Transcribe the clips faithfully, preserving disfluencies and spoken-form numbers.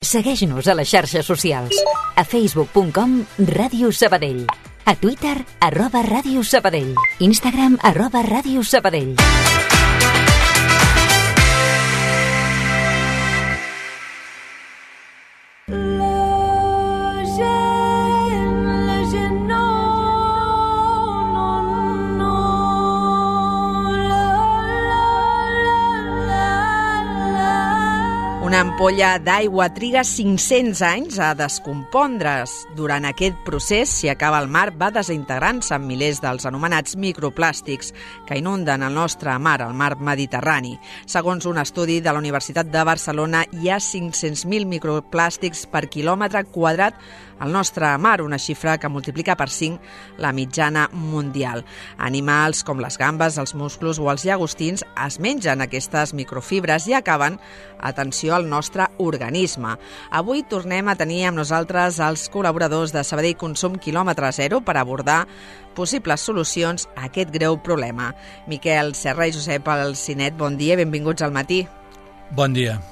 Segueix-nos a les xarxes socials. A facebook punt com Ràdio Sabadell. A Twitter, arroba Ràdio Sabadell. Instagram, arroba Ràdio Sabadell. Una ampolla d'aigua triga cinc-cents anys a descompondre's. Durant aquest procés, si acaba al mar, va desintegrant-se en milers dels anomenats microplàstics que inunden el nostre mar, el mar Mediterrani. Segons un estudi de la Universitat de Barcelona, hi ha cinc-cents mil microplàstics per quilòmetre quadrat al nostre mar, una xifra que multiplica per cinc la mitjana mundial. Animals com les gambes, els musclos o els llagostins es mengen aquestes microfibres i acaben, atenció, al nostre organisme. Avui tornem a tenir amb nosaltres els col·laboradors de Sabadell Consum Quilòmetre Zero per abordar possibles solucions a aquest greu problema. Miquel Serra i Josep Alcinet, bon dia, benvinguts al matí. Bon dia.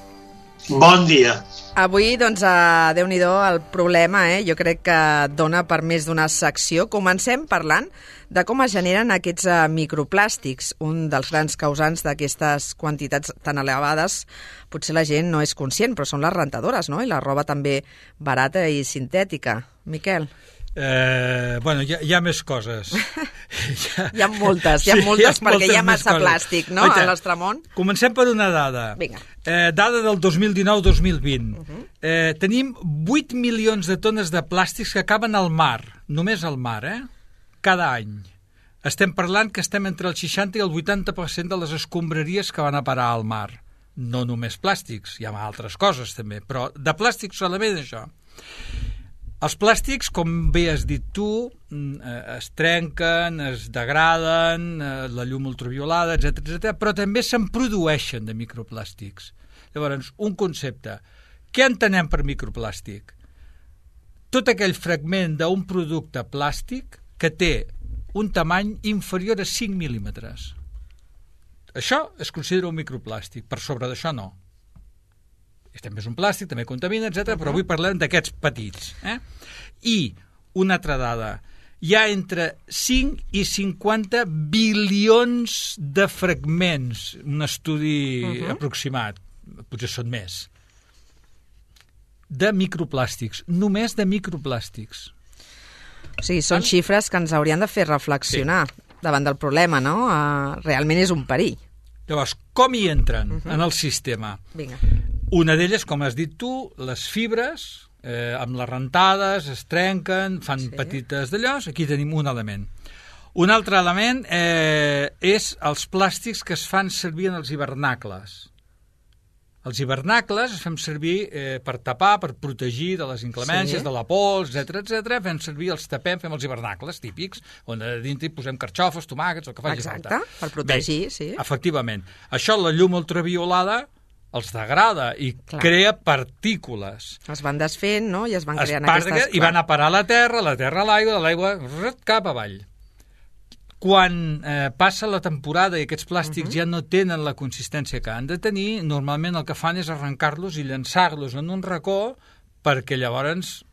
Bon dia. Avui, doncs, a Déu-n'hi-do el problema, eh? Jo crec que dona per més d'una secció. Comencem parlant de com es generen aquests uh, microplàstics. Un dels grans causants d'aquestes quantitats tan elevades, potser la gent no és conscient, però són les rentadores, no? I la roba també barata i sintètica. Miquel? Eh, bueno, hi ha, hi ha més coses. hi, ha... hi ha moltes, hi ha sí, moltes hi ha perquè moltes hi ha massa coses. plàstic, no?, Oita, al nostre món. Comencem per una dada. Vinga. Eh, dada del dos mil dinou dos mil vint. Uh -huh. eh, tenim vuit milions de tones de plàstics que acaben al mar, només al mar, eh? Cada any. Estem parlant que estem entre el seixanta i el vuitanta per cent de les escombraries que van a parar al mar. No només plàstics, hi ha altres coses també, però de plàstics solament això. Els plàstics, com bé has dit tu, es trenquen, es degraden, la llum ultraviolada, etcètera, etcètera, però també se'n produeixen de microplàstics. Llavors, un concepte. Què entenem per microplàstic? Tot aquell fragment d'un producte plàstic que té un tamany inferior a cinc mil·límetres. Això es considera un microplàstic, per sobre d'això no. També és un plàstic, també contamina, etcètera, uh-huh. Però avui parlem d'aquests petits. Eh? I una altra dada, hi ha entre cinc i cinquanta bilions de fragments, un estudi uh-huh. aproximat, potser són més, de microplàstics, només de microplàstics. O sigui, són xifres que ens haurien de fer reflexionar sí. davant del problema, no? Uh, realment és un perill. Llavors, com hi entren uh-huh. en el sistema? Vinga. Una d'elles, com has dit tu, les fibres, eh, amb les rentades, es trenquen, fan sí. petites d'allò. Aquí tenim un element. Un altre element eh, és els plàstics que es fan servir en els hivernacles. Els hivernacles es fem servir eh, per tapar, per protegir de les inclemències, sí. de la pols, etcètera, etcètera. Fem servir, els tapem, fem els hivernacles típics, on a dintre posem carxofes, tomàquets, el que faci Exacte, falta. per protegir, Bé, sí. Efectivament. Això, la llum ultraviolada, els degrada i Clar. crea partícules. Es van desfent, no?, i es van es creant parga, aquestes... I van a parar a la terra, la terra a l'aigua, de l'aigua cap avall. Quan eh, passa la temporada i aquests plàstics uh-huh. ja no tenen la consistència que han de tenir, normalment el que fan és arrencar-los i llançar-los en un racó perquè llavors,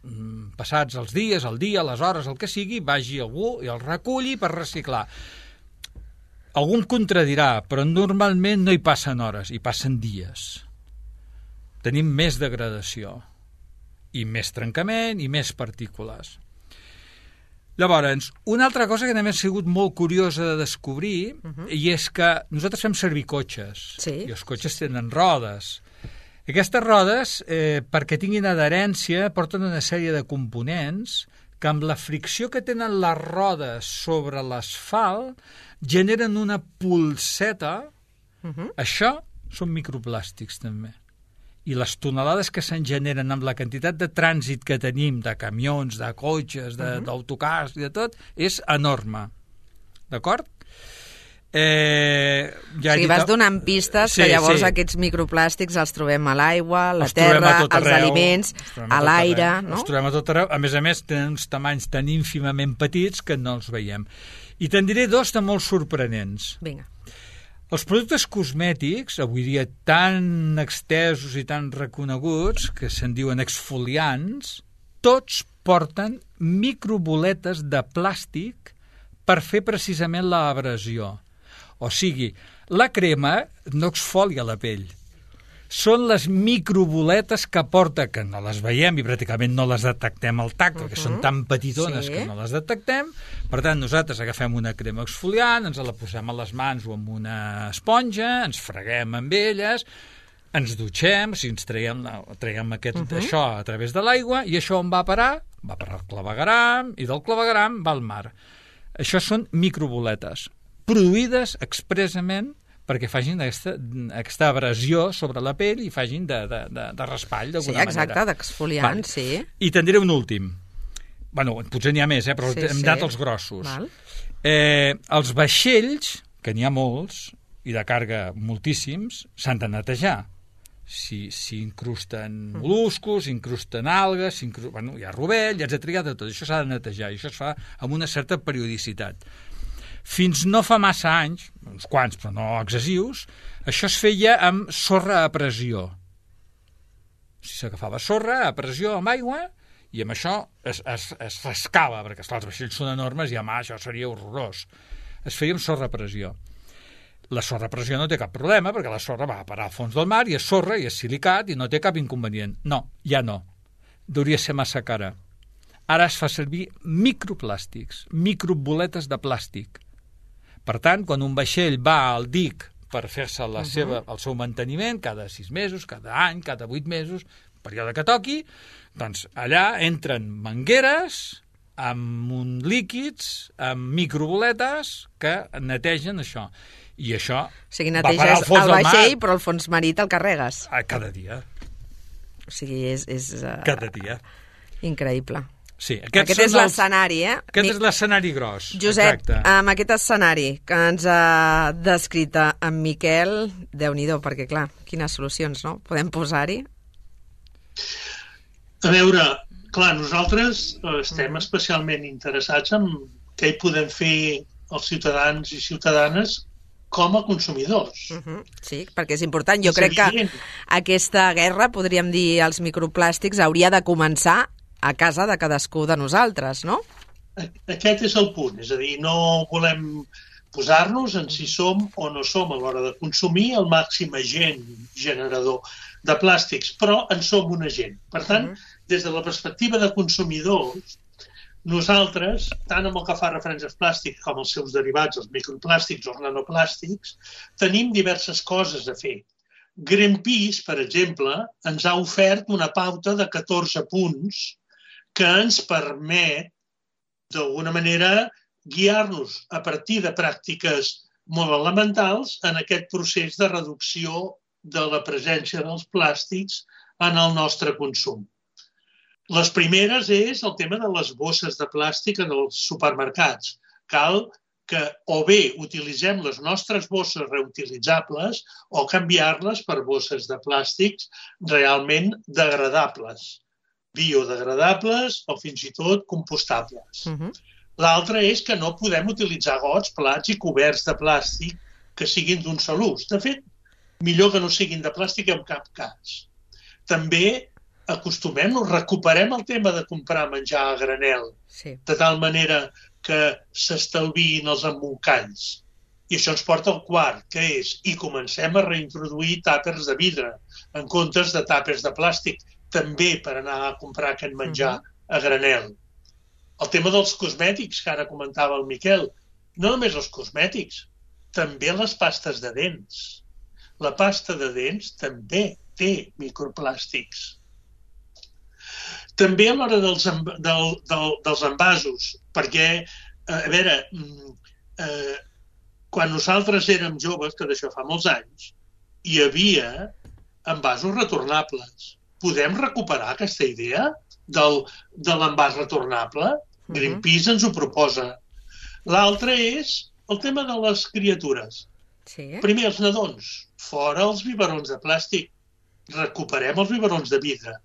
passats els dies, el dia, les hores, el que sigui, vagi algú i el reculli per reciclar. Algú em contradirà, però normalment no hi passen hores, hi passen dies. Tenim més degradació, i més trencament, i més partícules. Llavors, una altra cosa que també ha sigut molt curiosa de descobrir, uh-huh. i és que nosaltres fem servir cotxes, sí. i els cotxes tenen rodes. Aquestes rodes, eh, perquè tinguin adherència, porten una sèrie de components que amb la fricció que tenen les rodes sobre l'asfalt generen una pulseta. Uh-huh. Això són microplàstics també. I les tonelades que se'n generen amb la quantitat de trànsit que tenim, de camions, de cotxes, de, uh-huh. d'autocars i de tot, és enorme. D'acord? Eh, ja o sigui, vas donant pistes sí, que llavors sí. aquests microplàstics els trobem a l'aigua, a la els terra, als arreu, aliments, a l'aire, no? Els trobem a tot arreu. A més a més, tenen uns tamanys tan ínfimament petits que no els veiem. I te'n diré dos de molt sorprenents. Vinga. Els productes cosmètics, avui dia tan extesos i tan reconeguts, que se'n diuen exfoliants, tots porten microboletes de plàstic per fer precisament l'abrasió. O sigui, la crema no exfolia la pell. Són les microboletes que porta, que no les veiem i pràcticament no les detectem al tacte, uh-huh. perquè són tan petitones sí. que no les detectem. Per tant, nosaltres agafem una crema exfoliant, ens la posem a les mans o amb una esponja, ens freguem amb elles, ens dutxem, o sigui, ens traiem, traiem aquest, uh-huh. això a través de l'aigua, i això on va a parar? Va a parar al clavegueram, i del clavegueram va al mar. Això són microboletes, produïdes expressament perquè facin aquesta, aquesta abrasió sobre la pell i facin de, de, de, de raspall, d'alguna manera. Sí, exacte, d'exfoliant, sí. I te'n diré un últim. Bueno, potser n'hi ha més, eh, però sí, hem sí. dat els grossos. Val. Eh, els vaixells, que n'hi ha molts, i de càrrega moltíssims, s'han de netejar. Si, si incrusten mol·luscos, si incrusten algues, si incrusten, bueno, hi ha rovell, etcètera, tot això s'ha de netejar, i això es fa amb una certa periodicitat. Fins no fa massa anys, uns quants però no excessius, això es feia amb sorra a pressió. Si s'agafava sorra a pressió amb aigua i amb això es, es, es rascava, perquè esclar, els vaixells són enormes i home, això seria horrorós. Es feia amb sorra a pressió. La sorra a pressió no té cap problema perquè la sorra va a parar al fons del mar i és sorra i és silicat i no té cap inconvenient. No, ja no. Hauria ser massa cara. Ara es fa servir microplàstics, microboletes de plàstic. Per tant, quan un vaixell va al dic per fer-se la uh-huh. seva, el seu manteniment, cada sis mesos, cada any, cada vuit mesos, període que toqui, doncs allà entren mangueres amb un líquids, amb microboletes que netegen això. I això o sigui, neteges el vaixell, però el fons marí te'l carregues. Cada dia. O sigui, és... és uh... Cada dia. Increïble. Sí, aquest és l'escenari, eh? Aquest és l'escenari gros. Josep, exacte. Amb aquest escenari que ens ha descrit en Miquel, Déu-n'hi-do, perquè clar, quines solucions, no? Podem posar-hi? A veure, clar, nosaltres estem especialment interessats en què hi podem fer els ciutadans i ciutadanes com a consumidors. Uh-huh. Sí, perquè és important. Jo és crec evident. Que aquesta guerra, podríem dir, als microplàstics, hauria de començar a casa de cadascú de nosaltres, no? Aquest és el punt, és a dir, no volem posar-nos en si som o no som a l'hora de consumir el màxim agent generador de plàstics, però en som un agent. Per tant, uh-huh. des de la perspectiva de consumidors, nosaltres, tant amb el que fa referència als plàstics com als seus derivats, els microplàstics o els nanoplàstics, tenim diverses coses a fer. Greenpeace, per exemple, ens ha ofert una pauta de catorze punts que ens permet, d'alguna manera, guiar-nos a partir de pràctiques molt elementals en aquest procés de reducció de la presència dels plàstics en el nostre consum. Les primeres és el tema de les bosses de plàstic en els supermercats. Cal que o bé utilitzem les nostres bosses reutilitzables o canviar-les per bosses de plàstics realment degradables, biodegradables o fins i tot compostables. Uh-huh. L'altre és que no podem utilitzar gots, plats i coberts de plàstic que siguin d'un sol ús. De fet, millor que no siguin de plàstic en cap cas. També acostumem-nos, recuperem el tema de comprar menjar a granel, sí. de tal manera que s'estalviïn els embolcalls. I això ens porta al quart, que és, i comencem a reintroduir tàpers de vidre en comptes de tàpers de plàstic, també per anar a comprar aquest menjar uh-huh. a granel. El tema dels cosmètics, que ara comentava el Miquel, no només els cosmètics, també les pastes de dents. La pasta de dents també té microplàstics. També a l'hora dels, del, del, dels envasos, perquè, a veure, eh, quan nosaltres érem joves, que d'això fa molts anys, hi havia envasos retornables. Podem recuperar aquesta idea del, de l'envàs retornable? Uh-huh. Greenpeace ens ho proposa. L'altre és el tema de les criatures. Sí. Primer, els nadons. Fora els biberons de plàstic. Recuperem els biberons de vidre.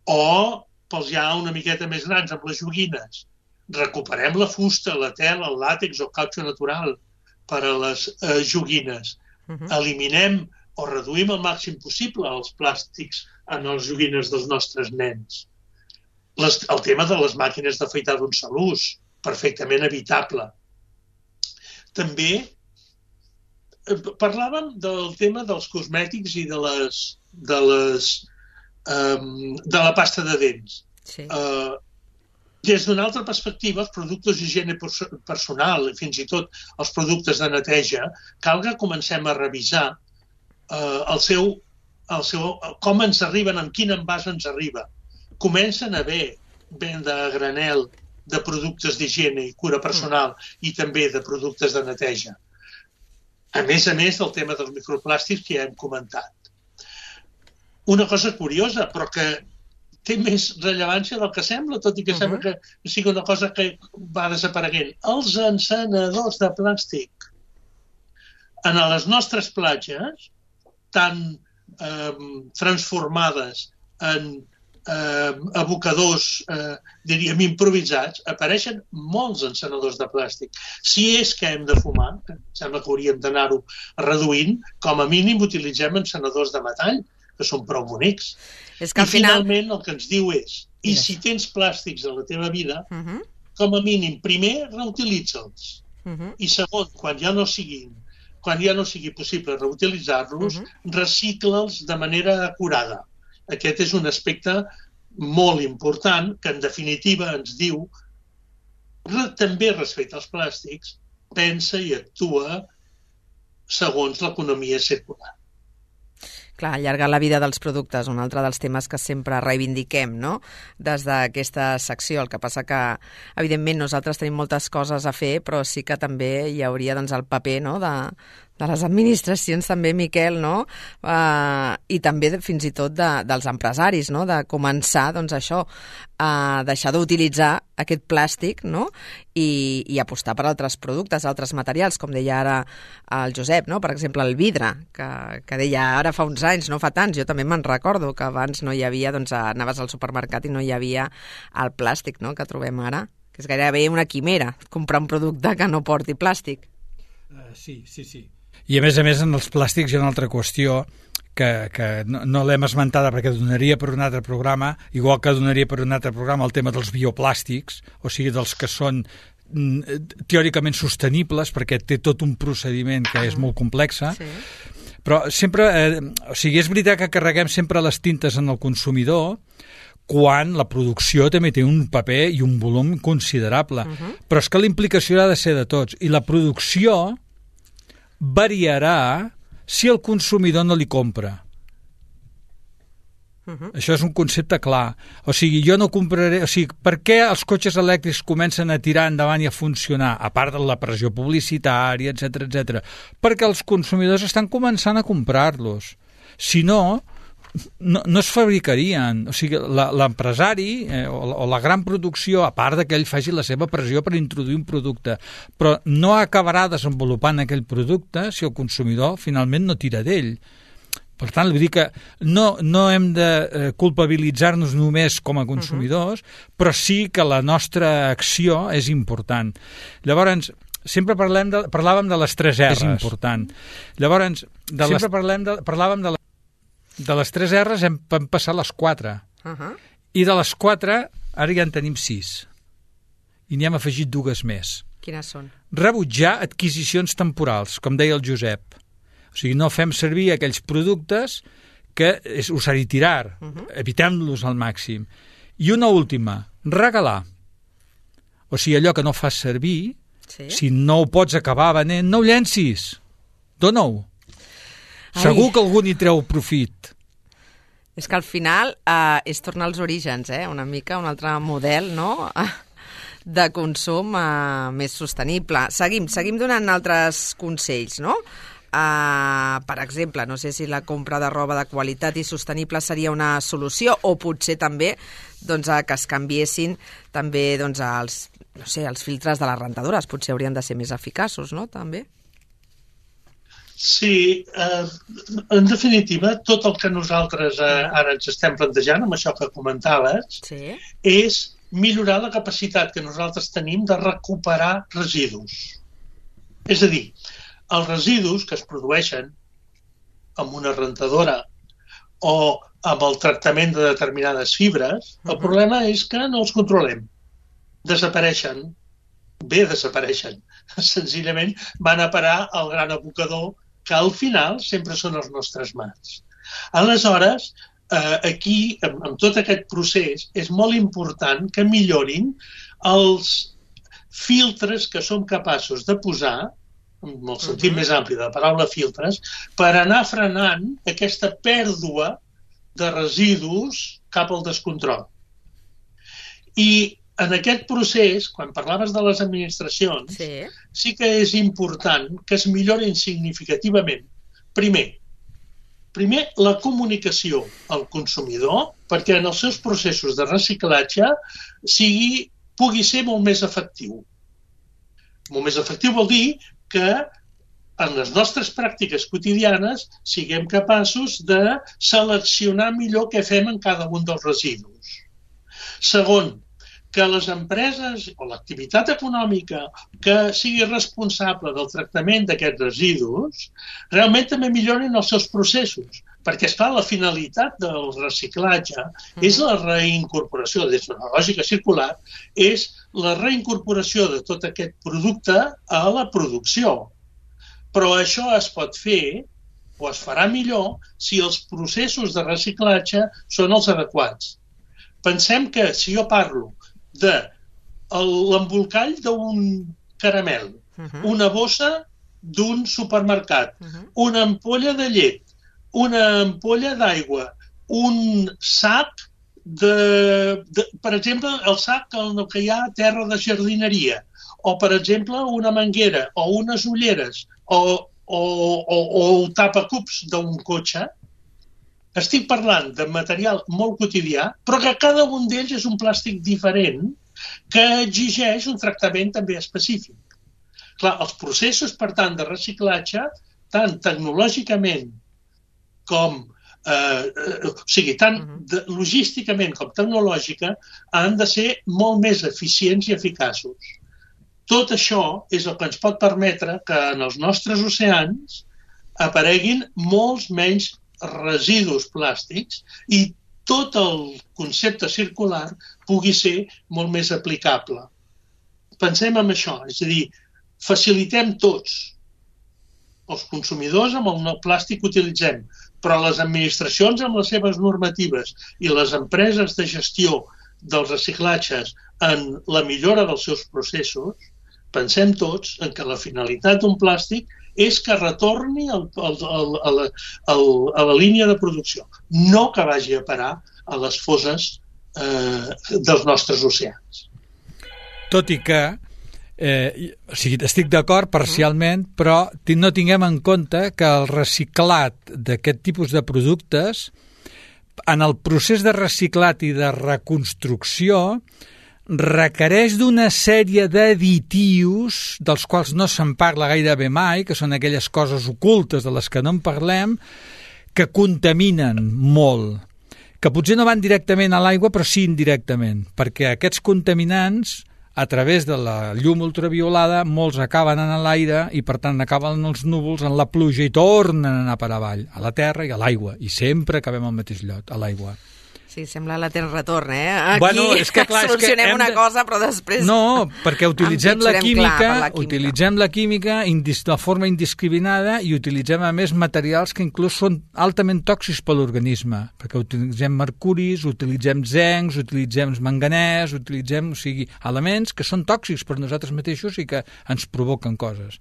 O, pels ja una miqueta més grans, amb les joguines. Recuperem la fusta, la tela, el làtex o el cautxo natural per a les eh, joguines. Uh-huh. Eliminem o reduïm al màxim possible els plàstics en les joguines dels nostres nens. Les, el tema de les màquines d'afaitar d'un sol ús, perfectament evitable. També eh, parlàvem del tema dels cosmètics i de les, de les um, de la pasta de dents. Sí. Uh, des d'una altra perspectiva, els productes d'higiene personal, fins i tot els productes de neteja, cal que comencem a revisar uh, el seu, el seu, com ens arriben, amb quin envàs ens arriba. Comencen a haver venda a granel de productes d'higiene i cura personal i també de productes de neteja. A més a més del tema dels microplàstics que ja hem comentat. Una cosa curiosa, però que té més rellevància del que sembla, tot i que uh-huh. sembla que sigui una cosa que va desapareguent. Els encenedors de plàstic. En les nostres platges, tan eh, transformades en eh, abocadors, eh, diríem, improvisats, apareixen molts encenedors de plàstic. Si és que hem de fumar, que sembla que hauríem d'anar-ho reduint, com a mínim utilitzem encenedors de metall, que són prou bonics. És que al I final... finalment el que ens diu és, i si tens plàstics a la teva vida, uh-huh. com a mínim, primer, reutilitza'ls. Uh-huh. I segon, quan ja no siguin, quan ja no sigui possible reutilitzar-los, uh-huh. recicla'ls de manera acurada. Aquest és un aspecte molt important que, en definitiva, ens diu també respecte als plàstics, pensa i actua segons l'economia circular. Clar, allargar la vida dels productes, un altre dels temes que sempre reivindiquem, no?, des d'aquesta secció. El que passa que, evidentment, nosaltres tenim moltes coses a fer, però sí que també hi hauria, doncs, el paper, no?, de, de les administracions també, Miquel, no?, uh, i també fins i tot de, dels empresaris, no?, de començar, doncs, això, a deixar d'utilitzar aquest plàstic, no?, i, i apostar per altres productes, altres materials, com deia ara el Josep, no?, per exemple, el vidre, que, que deia ara fa uns anys, no fa tants, jo també me'n recordo que abans no hi havia, doncs, anaves al supermercat i no hi havia el plàstic, no?, que trobem ara, que és gairebé una quimera, comprar un producte que no porti plàstic. Uh, sí, sí, sí. I a més a més en els plàstics hi ha una altra qüestió que, que no, no l'hem esmentada perquè donaria per un altre programa, igual que donaria per un altre programa el tema dels bioplàstics, o sigui, dels que són teòricament sostenibles, perquè té tot un procediment que és molt complex, sí. Però sempre, eh, o sigui, és veritat que carreguem sempre les tintes en el consumidor, quan la producció també té un paper i un volum considerable. Uh-huh. Però és que la implicació ha de ser de tots, i la producció variarà si el consumidor no li compra. Uh-huh. Això és un concepte clar. O sigui, jo no compraré... O sigui, per què els cotxes elèctrics comencen a tirar endavant i a funcionar, a part de la pressió publicitària, etcètera, etcètera? Perquè els consumidors estan començant a comprar-los. Si no, no, no es fabricarien. O sigui, l'empresari eh, o, o la gran producció, a part que ell faci la seva pressió per introduir un producte, però no acabarà desenvolupant aquell producte si el consumidor finalment no tira d'ell. Per tant, vull dir que no, no hem de eh, culpabilitzar-nos només com a consumidors, uh-huh. però sí que la nostra acció és important. Llavors, sempre parlem de, parlàvem de les tres R's. És important. Llavors, de sempre les... parlem de, parlàvem de, la, de les tres R's, hem, hem passat les quatre. Uh-huh. I de les quatre, ara ja en tenim sis. I n'hi hem afegit dues més. Quines són? Rebutjar adquisicions temporals, com deia el Josep. O sigui, no fem servir aquells productes que és usar i tirar. Uh-huh. Evitem-los al màxim. I una última, regalar. O sigui, allò que no fas servir, sí. si no ho pots acabar venent, no ho llencis. Dona-ho. Ai. Segur que algú n'hi treu profit. És que al final eh, és tornar als orígens, eh? Una mica, un altre model, no?, de consum eh, més sostenible. Seguim, seguim donant altres consells, no?, Uh, per exemple, no sé si la compra de roba de qualitat i sostenible seria una solució, o potser també doncs, que es canviessin també doncs, els, no sé, els filtres de les rentadores, potser haurien de ser més eficaços, no?, també. Sí, eh, en definitiva, tot el que nosaltres eh, ara ens estem plantejant, amb això que comentaves, sí. és millorar la capacitat que nosaltres tenim de recuperar residus. És a dir, Els residus que es produeixen amb una rentadora o amb el tractament de determinades fibres, el problema és que no els controlem. Desapareixen. Bé, desapareixen. Senzillament van a parar al gran abocador, que al final sempre són els nostres mars. Aleshores, eh, aquí, amb, amb tot aquest procés, és molt important que millorin els filtres que som capaços de posar, en el sentit uh-huh. més ampli de la paraula filtres, per anar frenant aquesta pèrdua de residus cap al descontrol. I en aquest procés, quan parlaves de les administracions, sí, sí que és important que es millorin significativament. Primer, primer la comunicació al consumidor, perquè en els seus processos de reciclatge sigui, pugui ser molt més efectiu. Molt més efectiu vol dir que en les nostres pràctiques quotidianes siguem capaços de seleccionar millor què fem en cada un dels residus. Segon, que les empreses o l'activitat econòmica que sigui responsable del tractament d'aquests residus realment també millorin els seus processos, perquè, esclar, la finalitat del reciclatge és la reincorporació, des d'una lògica circular, és la reincorporació de tot aquest producte a la producció. Però això es pot fer o es farà millor si els processos de reciclatge són els adequats. Pensem que si jo parlo de l'embolcall d'un caramel, uh-huh. una bossa d'un supermercat, uh-huh. una ampolla de llet, una ampolla d'aigua, un sac de, de... Per exemple, el sac en el que hi ha terra de jardineria, o, per exemple, una manguera, o unes ulleres, o, o, o, o el tapacups d'un cotxe. Estic parlant de material molt quotidià, però que cada un d'ells és un plàstic diferent que exigeix un tractament també específic. Clar, els processos, per tant, de reciclatge, tant tecnològicament com, eh, o sigui, tant de, logísticament com tecnològica, han de ser molt més eficients i eficaços. Tot això és el que ens pot permetre que en els nostres oceans apareguin molts menys residus plàstics i tot el concepte circular pugui ser molt més aplicable. Pensem en això, és a dir, facilitem tots els consumidors amb el plàstic que utilitzem, però les administracions amb les seves normatives i les empreses de gestió dels reciclatges en la millora dels seus processos, pensem tots en que la finalitat d'un plàstic és que retorni al, al, al, a, la, al, a la línia de producció, no que vagi a parar a les fosses eh, dels nostres oceans. Tot i que, eh, o sigui, estic d'acord parcialment, però no tinguem en compte que el reciclat d'aquest tipus de productes, en el procés de reciclat i de reconstrucció, requereix d'una sèrie d'additius dels quals no se'n parla gairebé mai, que són aquelles coses ocultes de les que no en parlem, que contaminen molt, que potser no van directament a l'aigua, però sí indirectament, perquè aquests contaminants, a través de la llum ultraviolada, molts acaben en l'aire i, per tant, acaben els núvols en la pluja i tornen a anar per avall, a la terra i a l'aigua, i sempre acabem al mateix lloc, a l'aigua. Sí, sembla la Terra retorn, eh? Aquí bueno, és que, clar, solucionem és que una de... cosa, però després... No, perquè utilitzem la química, clar, la química, utilitzem la química indis... de forma indiscriminada i utilitzem, a més, materials que inclús són altament tòxics per l'organisme, perquè utilitzem mercuris, utilitzem zincs, utilitzem manganès, utilitzem, o sigui, elements que són tòxics per nosaltres mateixos i que ens provoquen coses.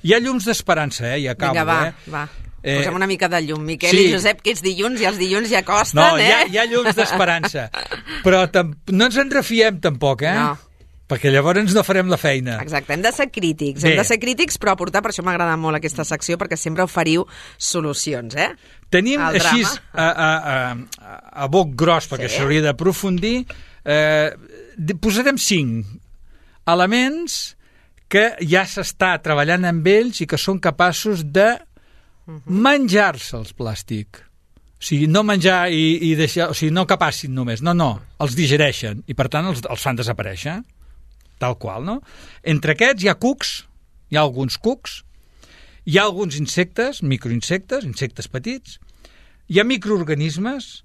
Hi ha llums d'esperança, eh? I acabo, Vinga, va, eh? va. Eh, Posem una mica de llum, Miquel sí. I Josep, que ets dilluns i els dilluns ja costen, no, eh? No, hi, ha, hi ha llums d'esperança, però no ens en refiem tampoc, eh? No. Perquè llavors no farem la feina. Exacte, hem de ser crítics, Bé. hem de ser crítics, però aportar, per això m'agrada molt aquesta secció, perquè sempre oferiu solucions, eh? Tenim el així, a, a, a, a boc gros, perquè sí. s'hauria d'aprofundir, eh, posarem cinc elements que ja s'està treballant amb ells i que són capaços de menjar-se els plàstic. O sigui, no menjar i, i deixar... O sigui, no que passin només. No, no. Els digereixen i, per tant, els, els fan desaparèixer. Tal qual, no? Entre aquests hi ha cucs, hi ha alguns cucs, Hi ha alguns insectes, microinsectes, insectes petits, hi ha microorganismes.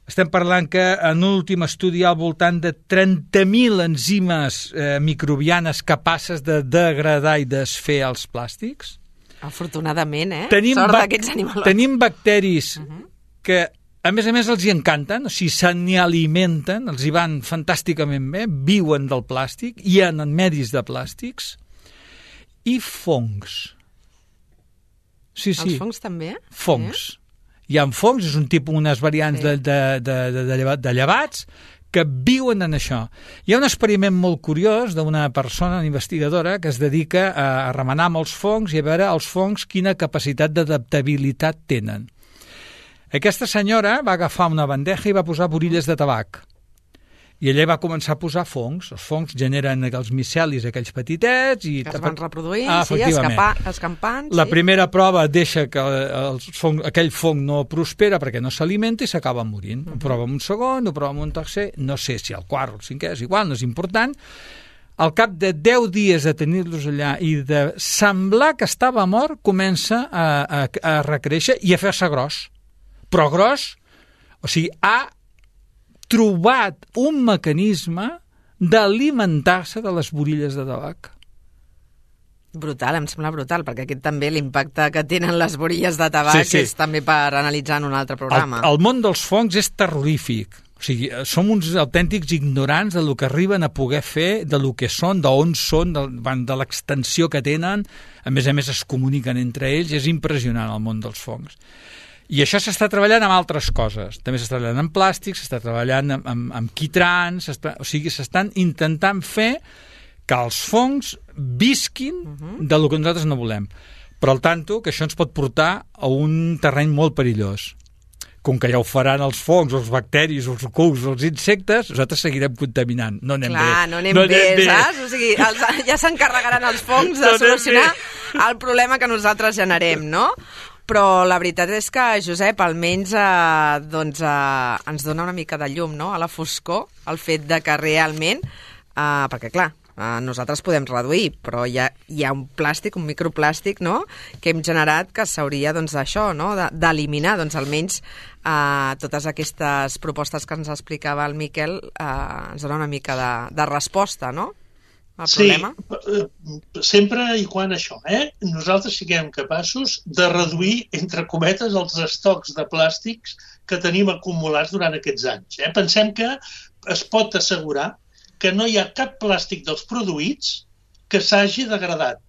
Estem parlant que en un últim estudi hi ha al voltant de trenta mil enzimes eh, microbianes capaces de degradar i desfer els plàstics. Afortunadament, eh? Tenim Sort bac- d'aquests animals. Tenim bacteris Uh-huh. que, a més a més, els hi encanten, o sigui, se n'hi alimenten, els hi van fantàsticament bé, viuen del plàstic, hi ha en medis de plàstics, i fongs. Sí, sí. Els fongs també? Fongs. Eh? Hi ha fongs, és un tipus, unes variants Sí. de, de, de, de, de, lleva- de llevats que viuen en això. Hi ha un experiment molt curiós d'una persona, una investigadora, que es dedica a, a remenar amb els fongs i a veure els fongs quina capacitat d'adaptabilitat tenen. Aquesta senyora va agafar una bandeja i va posar borilles de tabac. I ella va començar a posar fongs. Els fongs generen els micelis, aquells petitets. I Que es van reproduint, ah, sí, escapa, escampant. La sí. primera prova deixa que els fong, aquell fong no prospera perquè no s'alimenta i s'acaba morint. Uh-huh. Ho prova amb un segon, ho prova amb un tercer, no sé si el quart o el cinquè, és igual, no és important. Al cap de deu dies de tenir-los allà i de semblar que estava mort, comença a, a, a recréixer i a fer-se gros. Però gros, o sigui, ha trobat un mecanisme d'alimentar-se de les borilles de tabac. Brutal, em sembla brutal, perquè aquest també l'impacte que tenen les borilles de tabac Sí, sí. és també per analitzar en un altre programa. El, el món dels fongs és terrorífic. O sigui, som uns autèntics ignorants de lo que arriben a poder fer, de lo que són, d'on són, de, de l'extensió que tenen. A més a més, es comuniquen entre ells. És impressionant el món dels fongs. I això s'està treballant amb altres coses. També s'està treballant amb plàstic, s'està treballant amb, amb, amb quitrans, o sigui, s'estan intentant fer que els fongs visquin uh-huh. de lo que nosaltres no volem. Però al tanto que això ens pot portar a un terreny molt perillós. Com que ja ho faran els fongs, els bacteris, els cucs, els insectes, nosaltres seguirem contaminant. No anem Clar, bé. no anem, no anem bé, bé, saps? O sigui, els, ja s'encarregaran els fongs de No anem solucionar bé. el problema que nosaltres generem, no? Però la veritat és que, Josep, almenys eh, doncs, eh, ens dona una mica de llum, no?, a la foscor, el fet de que realment, eh, perquè clar, eh, nosaltres podem reduir, però hi ha, hi ha un plàstic, un microplàstic, no?, que hem generat que s'hauria, doncs, d'això, no?, d'eliminar, doncs, almenys eh, totes aquestes propostes que ens explicava el Miquel eh, ens dona una mica de, de resposta, no?, al sí, problema. Sempre i quan això, eh? Nosaltres siguem capaços de reduir, entre cometes, els estocs de plàstics que tenim acumulats durant aquests anys. Eh? Pensem que es pot assegurar que no hi ha cap plàstic dels produïts que s'hagi degradat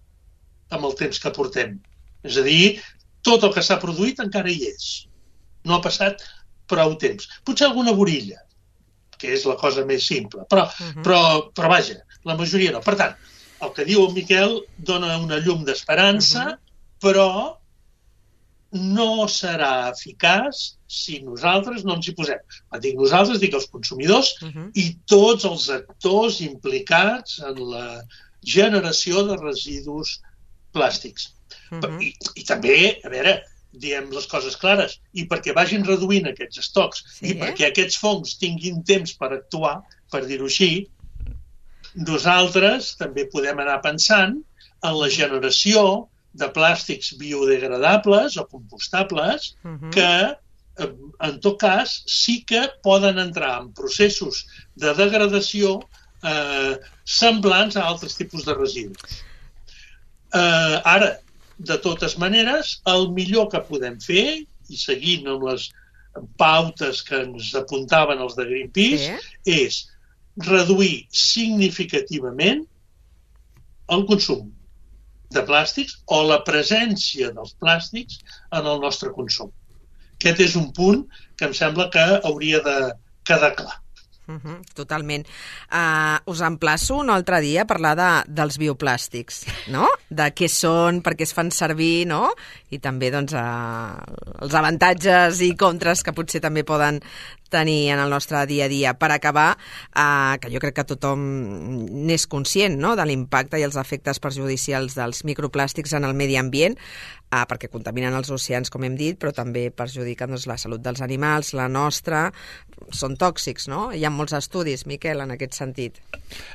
amb el temps que portem. És a dir, tot el que s'ha produït encara hi és. No ha passat prou temps. Potser alguna borilla, que és la cosa més simple, però, uh-huh. però, però vaja, la majoria no. Per tant, el que diu el Miquel dona una llum d'esperança, uh-huh. però no serà eficaç si nosaltres no ens hi posem. Quan dic nosaltres, dic els consumidors uh-huh. i tots els actors implicats en la generació de residus plàstics. Uh-huh. I, I també, a veure, diem les coses clares, i perquè vagin reduint aquests estocs sí, i perquè aquests fongs tinguin temps per actuar, per dir-ho així, nosaltres també podem anar pensant en la generació de plàstics biodegradables o compostables uh-huh. que, en tot cas, sí que poden entrar en processos de degradació eh, semblants a altres tipus de residus. Eh, ara, de totes maneres, el millor que podem fer, i seguint amb les pautes que ens apuntaven els de Greenpeace, sí. és reduir significativament el consum de plàstics o la presència dels plàstics en el nostre consum. Aquest és un punt que em sembla que hauria de quedar clar. Uh-huh, totalment. Uh, us emplaço un altre dia a parlar de, dels bioplàstics, no? De què són, per què es fan servir, no? I també doncs, uh, els avantatges i contres que potser també poden tenir en el nostre dia a dia. Per acabar, uh, que jo crec que tothom n'és conscient, no?, de l'impacte i els efectes perjudicials dels microplàstics en el medi ambient, uh, perquè contaminen els oceans, com hem dit, però també perjudiquen doncs, la salut dels animals, la nostra, són tòxics, no? Hi ha molts estudis, Miquel, en aquest sentit.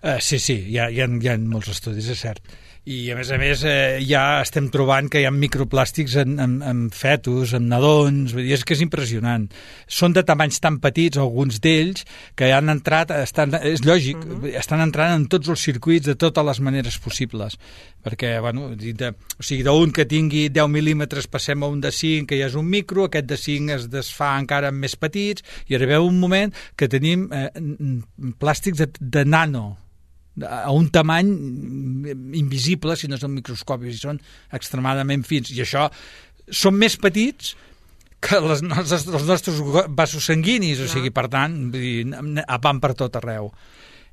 Uh, sí, sí, hi ha, hi, ha, hi ha molts estudis, és cert. I, a més a més, eh, ja estem trobant que hi ha microplàstics en, en, en fetus, en nadons, vull dir, és que és impressionant. Són de tamanys tan petits, alguns d'ells, que han entrat, estan, és lògic, uh-huh. estan entrant en tots els circuits de totes les maneres possibles. Perquè, bueno, de, o sigui, d'un que tingui deu mil·límetres passem a un de cinc, que ja és un micro, aquest de cinc es desfà encara en més petits, i arribeu un moment que tenim eh, plàstics de, de nano, a un tamany invisible, si no és el microscopi, si són extremadament fins. I això són més petits que les nostres, els nostres vasos sanguinis, o sigui, per tant, van per tot arreu.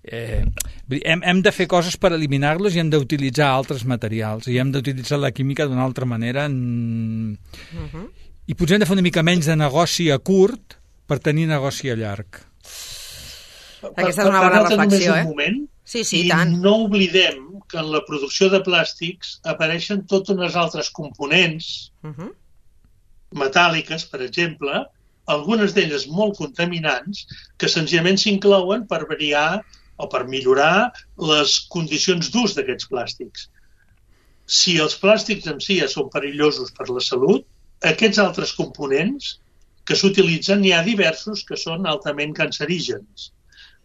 Eh, hem, hem de fer coses per eliminar-los i hem d'utilitzar altres materials i hem d'utilitzar la química d'una altra manera en... uh-huh. i potser hem de fer una mica menys de negoci a curt per tenir negoci a llarg. Aquesta és una bona reflexió, eh? Moment, sí, sí, i tant. no oblidem que en la producció de plàstics apareixen totes unes altres components uh-huh. metàl·liques, per exemple, algunes d'elles molt contaminants, que senzillament s'inclouen per variar o per millorar les condicions d'ús d'aquests plàstics. Si els plàstics en si ja són perillosos per la salut, aquests altres components que s'utilitzen, n'hi ha diversos que són altament cancerígens.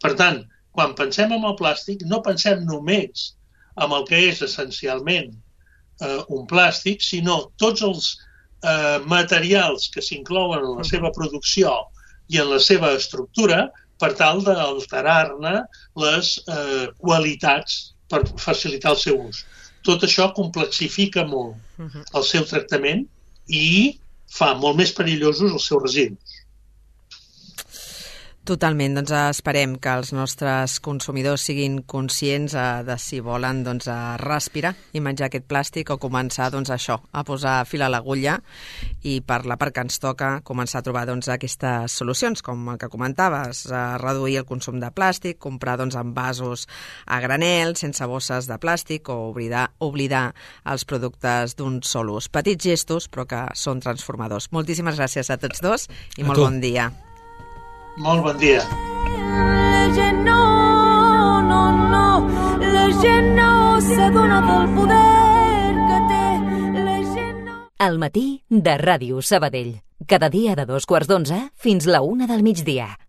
Per tant, quan pensem en el plàstic, no pensem només en el que és essencialment eh, un plàstic, sinó tots els eh, materials que s'inclouen en la seva producció i en la seva estructura per tal d'alterar-ne les eh, qualitats per facilitar el seu ús. Tot això complexifica molt el seu tractament i fa molt més perillosos els seus residus. Totalment, doncs esperem que els nostres consumidors siguin conscients eh, de si volen doncs, respirar i menjar aquest plàstic o començar doncs, això, a posar fil a l'agulla i per la part que ens toca començar a trobar doncs, aquestes solucions, com el que comentaves, eh, reduir el consum de plàstic, comprar doncs, envasos a granel, sense bosses de plàstic o oblidar, oblidar els productes d'un sol ús. Petits gestos, però que són transformadors. Moltíssimes gràcies a tots dos i a molt tu. Bon dia. Molt bon dia. La gent no, no, no, la gent no s'adona del poder que té. La gent no... Al matí de Ràdio Sabadell. Cada dia de dos quarts d'onze fins la una del migdia.